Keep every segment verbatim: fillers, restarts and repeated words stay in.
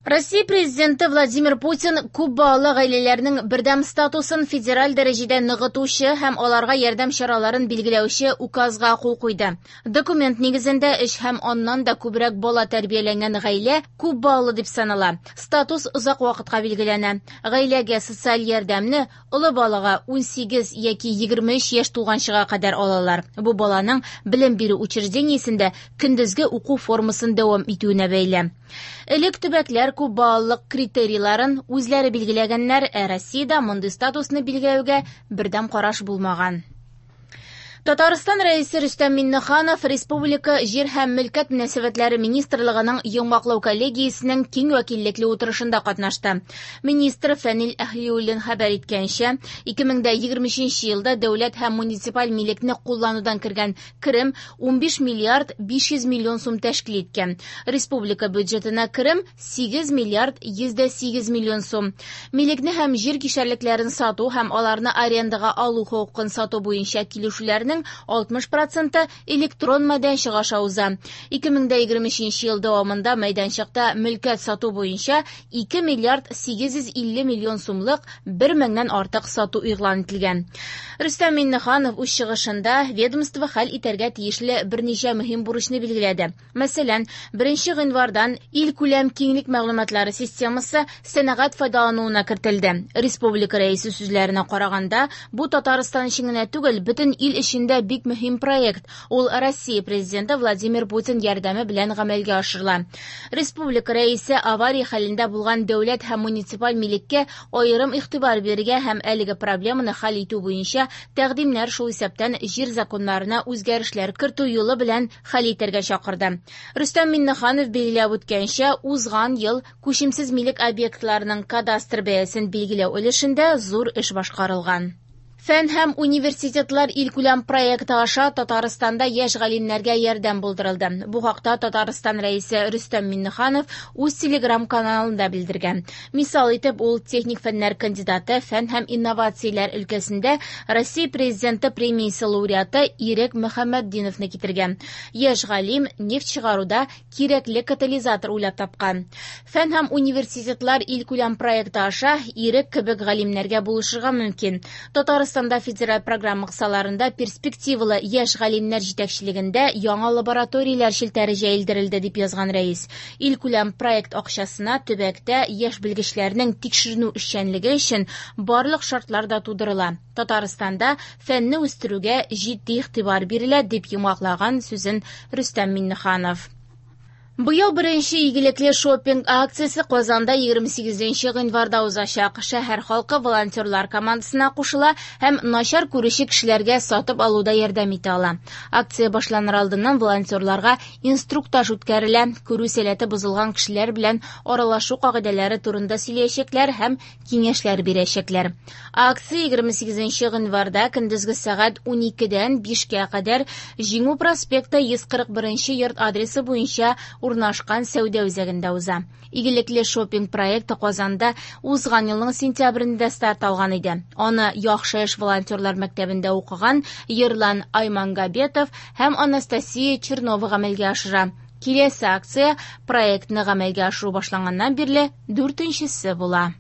Россия президенты Владимир Путин күп балалы гаиләләрнең бердәм статусын федераль дәрәҗәдә ныгытучы һәм аларга ярдәм чараларын билгеләүче указга кул куйды. Документ нигезендә өч һәм аннан да күбрәк бала тәрбияләнгән гаилә күп балалы дип санала. Статус озак вакытка билгеләнә. Гаиләгә социаль ярдәмне олы балага ун сигез яки егерме өч яшь тулганчыга кадәр алалар. Бу баланың белем бирү учреждениесендә көндезге уку формасын дәвам итүенә бәйле. Элек төбәкләр күп балалылык критерийларын үзләре билгеләгәннәр, ә Россиядә мондый статусны билгеләүгә бердәм караш булмаган. Татарстан Рәисе Рөстәм Миңнеханов Республика Җир һәм мөлкәт мөнәсәбәтләре министрлыгының йомгаклау коллегиясенең киң вәкиллекле утырышында катнашты. Министр Фәнил Әһлиуллин хәбәр иткәнчә, ике мең дә егерме өченче елда дәүләт һәм муниципаль милекне кулланудан кергән керем ун биш миллиард биш йөз миллион сум тәшкил иткән. Республика бюджетына керем сигез миллиард йөз дә сигез миллион сум. Милекне һәм җир кишәрлекләрен сату һәм аларны арендага алу хокукын сату буенча килешүләрнең алтмыш проценты электрон мәйданчык аша уза. Ике мең дә егерме өченче ел дәвамында мәйданчыкта мөлкәт сату буенча ике миллиард сигез йөз илле миллион сумлык бер меңнән артык сату игълан ителгән. Рөстәм Миңнеханов үз чыгышында ведомство хәл итәргә тиешле берничә мөһим бурычны билгеләде. Мәсәлән, беренче гыйнвардан илкүләм киңлек мәгълүматлары системасы сәнәгать файдалануына кертелде. Республика рәисе сүзләренә караганда, бу Татарстан өчен генә түгел, бөтен ил өчен дә бик мөһим проект. Ул Россия президенты Владимир Путин ярдәме белән гамәлгә ашырыла. Республика рәисе авария хәлендә булган дәүләт һәм муниципаль милеккә аерым игътибар бирергә һәм әлеге проблеманы хәл итү буенча тәкъдимнәр, шул исәптән җир законнарына үзгәрешләр кертү юлы белән хәл итәргә чакырды. Рөстәм Миңнеханов билгеләп үткәнчә, узган ел күчемсез милек объектларының кадастр бәясен билгеләү өлешендә зур эш башкарылган. Фән һәм университетлар илкүләм проекты аша Татарстанда яшь галимнәргә ярдәм булдырылды. Бу хакта Татарстан рәисе Рөстәм Миңнеханов үз телеграм-каналында белдергән. Мисал итеп, ул техник фәннәр кандидаты, фән һәм инновацияләр өлкәсендә Россия президенты премиясе лауреаты Ирек Мөхәммәтдиновны китергән. Яшь галим нефть чыгаруда кирәкле катализатор уйлап тапкан. Фән һәм университетлар илкүләм проекты аша Ирек кебек галимнәргә булышырга мөмкин. Татарстан Татарстанда федераль программа кысаларында перспективалы яшь галимнәр җитәкчелегендә яңа лабораторияләр челтәре җәелдерелде, дип язган рәис. Илкүләм проект акчасына төбәктә яшь белгечләрнең тикшеренү эшчәнлеге өчен барлык шартлар да тудырыла. Татарстанда фәнне үстерүгә җитди игътибар бирелә, дип йомгаклаган сүзен Рөстәм Миңнеханов. Быел беренче игелекле шопинг акциясе Казанда егерме сигезенче гыйнварда узачак. Шәһәр халкы волонтерлар командасына кушыла һәм начар күрүче кешеләргә сатып алуда ярдәм итә ала. Акция башланыр алдыннан волонтерларга инструктаж үткәрелә. Күрү сәләте бозылган кешеләр белән аралашу кагыйдәләре турында сөйләячәкләр һәм киңәшләр бирәчәкләр. Акция егерме сигезенче гыйнварда көндезге сәгать уникедән бишкә кадәр Җиңү проспекты йөз кырык беренче йорт адресы буенча урнашкан сәүдә үзәгендә уза. Игелекле шопинг проекты Казанда узган елның сентябрендә старт алган иде. Аны Яхшы эш волонтерлар мәктәбендә укыган Ерлан Аймангабетов һәм Анастасия Чернова гамәлгә ашыра. Киләсе акция проектны гамәлгә ашыру башланганнан бирле дүртенчесе була.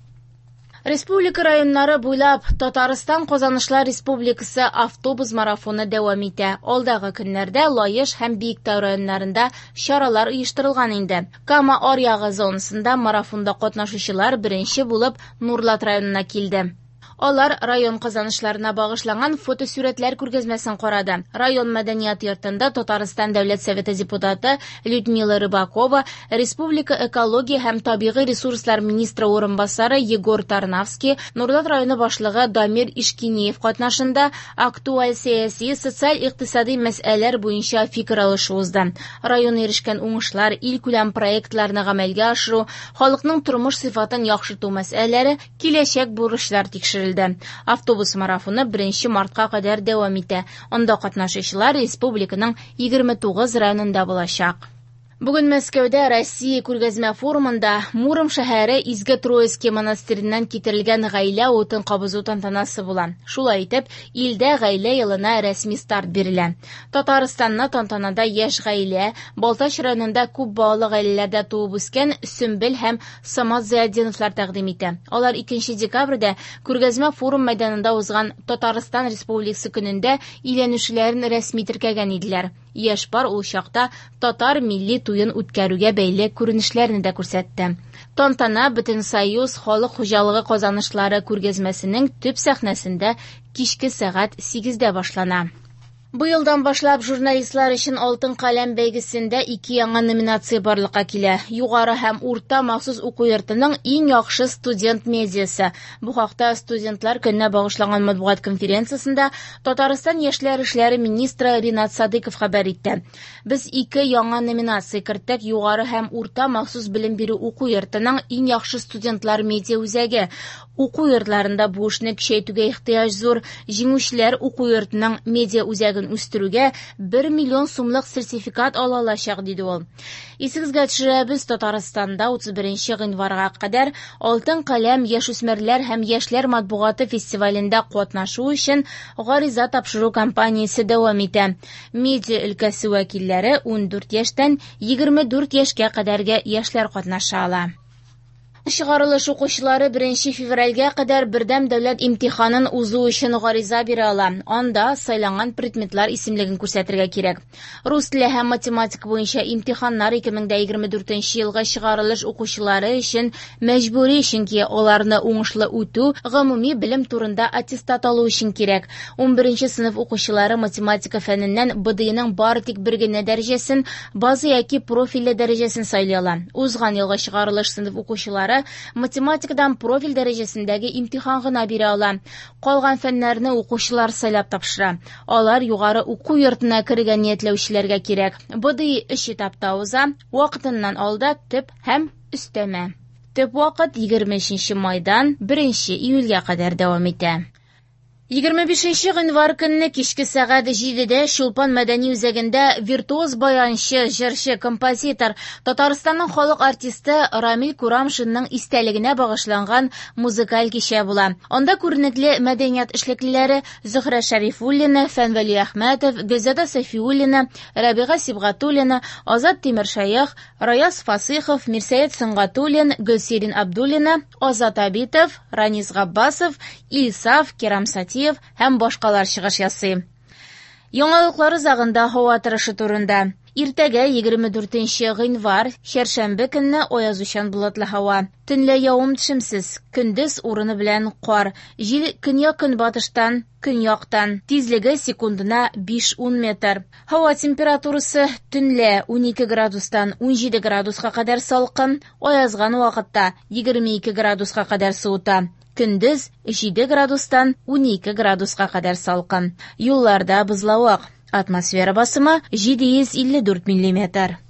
Республика районнары буйлап Татарстан Казанышлар Республикасы автобус марафоны дәвам итә. Алдагы көннәрдә Лаеш һәм Биектау районнарында чаралар оештырылган инде. Кама аръягы зонасында марафонда катнашучылар беренче булып Нурлат районына килде. Алар район казанышларына багышланган фотосурәтләр күргәзмәсен карады. Район мәдәният йортында Татарстан Дәүләт Советы депутаты Людмила Рыбакова, Республика экология һәм табигый ресурслар министры урынбасары Егор Тарнавский, Нурлат районы башлыгы Дамир Ишкинеев катнашында актуаль сәяси, социаль-икътисади мәсьәләләр буенча фикер алышу узды. Район ирешкән уңышлар, илкүләм проектларны гамәлгә ашыру, халыкның тормыш сыйфатын яхшырту мәсьәләләре, киләчәк бурычлар тикшерелде. Автобус марафоны беренче мартка кадәр дәвам итә. Анда катнашучылар республиканың егерме тугыз районында булачак. Бүген Мәскәүдә Россия күргәзмә форумында Муром шәһәре Изге Троицкий монастыреннән китерелгән гаилә утын кабызу тантанасы була. Шулай итеп, илдә гаилә елына рәсми старт бирелә. Татарстанны тантанада яшь гаилә, Балтач районында күп балалы гаиләләрдә туып үскән Сөмбел һәм Самат Зыятдиновлар тәкъдим итә. Алар икенче декабрьдә күргәзмә форум мәйданында узган Татарстан Республикасы көнендә өйләнүчеләрен рәсми теркәгән иделәр. Яшь пар ул чакта татар милли туен үткәрүгә бәйле күренешләрне дә күрсәтте. Тантана Бөтенсоюз халык хуҗалыгы казанышлары күргәзмәсенең төп сәхнәсендә кичке сәгать сигездә башлана. Быелдан башлап журналистлар өчен Алтын каләм бәйгесендә ике яңа номинация барлыкка килә. Югары һәм урта махсус уку йортының иң яхшы студент медиасы. Бу хакта студентлар көненә багышланган матбугат конференциясендә Татарстан яшьләр эшләре министры Ринат Садыков хәбәр итте. Без ике яңа номинация керттек: югары һәм урта махсус белем бирү уку йортының иң яхшы студентлар медиа үзәге. Уку йортларында бу эшне көчәйтүгә ихтыяҗ зур. Җиңүчеләр уку йортының медиа үзәген үстерүгә бер миллион сумлык сертификат ала алачак, диде ул. Исегезгә төшерәбез, Татарстанда утыз беренче гыйнварга кадәр Алтын каләм яшүсмерләр һәм яшьләр матбугаты фестивалендә катнашу өчен гариза тапшыру кампаниясе дәвам итә. Медиа өлкәсе вәкилләре ундүрт яшьтән егерме дүрт яшькә кадәрге яшьләр катнаша ала. Чыгарылыш укучылары беренче февральгә кадәр бердәм дәүләт имтиханын узу өчен гариза бирә ала. Анда сайланган предметлар исемлеген күрсәтергә кирәк. Рус теле һәм математика буенча имтиханнар ике мең дә егерме дүртенче елгы чыгарылыш укучылары өчен мәҗбүри, чөнки аларны уңышлы үтү гомуми белем турында аттестат алу өчен кирәк. Унберенче сыйныф укучылары математика фәненнән Б Д Иның бары тик бер генә дәрәҗәсен, база яки профильле дәрәҗәсен сайлый ала. Узган елгы чыгарылыш сыйныф укучылары математикадан профиль дәрәҗәсендәге имтихан гына бирә ала. Калган фәннәрне укучылар сайлап тапшыра. Алар югары уку йортына керергә ниятләүчеләргә кирәк. Б Д И өч этапта уза, вакытыннан алда төп һәм өстәмә. Төп вакыт егерме өченче майдан беренче июльгә кадәр дәвам итә. Егерме бишенче гыйнвар көнне кичке сәгать җидедә Чулпан мәдәни үзәгендә виртуоз баянчы, җырчы, композитор, Татарстанның халык артисты Рамил Курамшинның истәлегенә багышланган музыкаль кичә була. Анда күренекле мәдәният эшлеклеләре Зөһрә Шәрифуллина, Фәнвәли Әхмәтов, Гөлзада Сафиуллина, Рәбига Сибгатуллина, Азат Тимершәех, Раяз Фасыйхов, Мирсәет Сөнгатуллин, Гөлсирин Абдуллина, Азат Абитов, Ранис Габбасов, Илсаф, Кирам Сатиев һәм башкалар чыгыш ясый. Яңалыклар узагында һава торышы турында. Иртәгә егерме дүртенче гыйнвар, чәршәмбе көнне аязучан болытлы һава. Төнлә явым-төшемсез, көндез урыны белән кар. Җил көньяк-көнбатыштан, көньяктан. Тизлеге секундына биш-ун метр. Һава температурасы төнлә унике градустан унҗиде градуска кадәр салкын, аязган вакытта егерме ике градуска кадәр суыта. Көндез җиде градустан унике градуска кадәр салкын. Юлларда бозлавык. Атмосфера басымы җиде йөз илле дүрт миллиметр.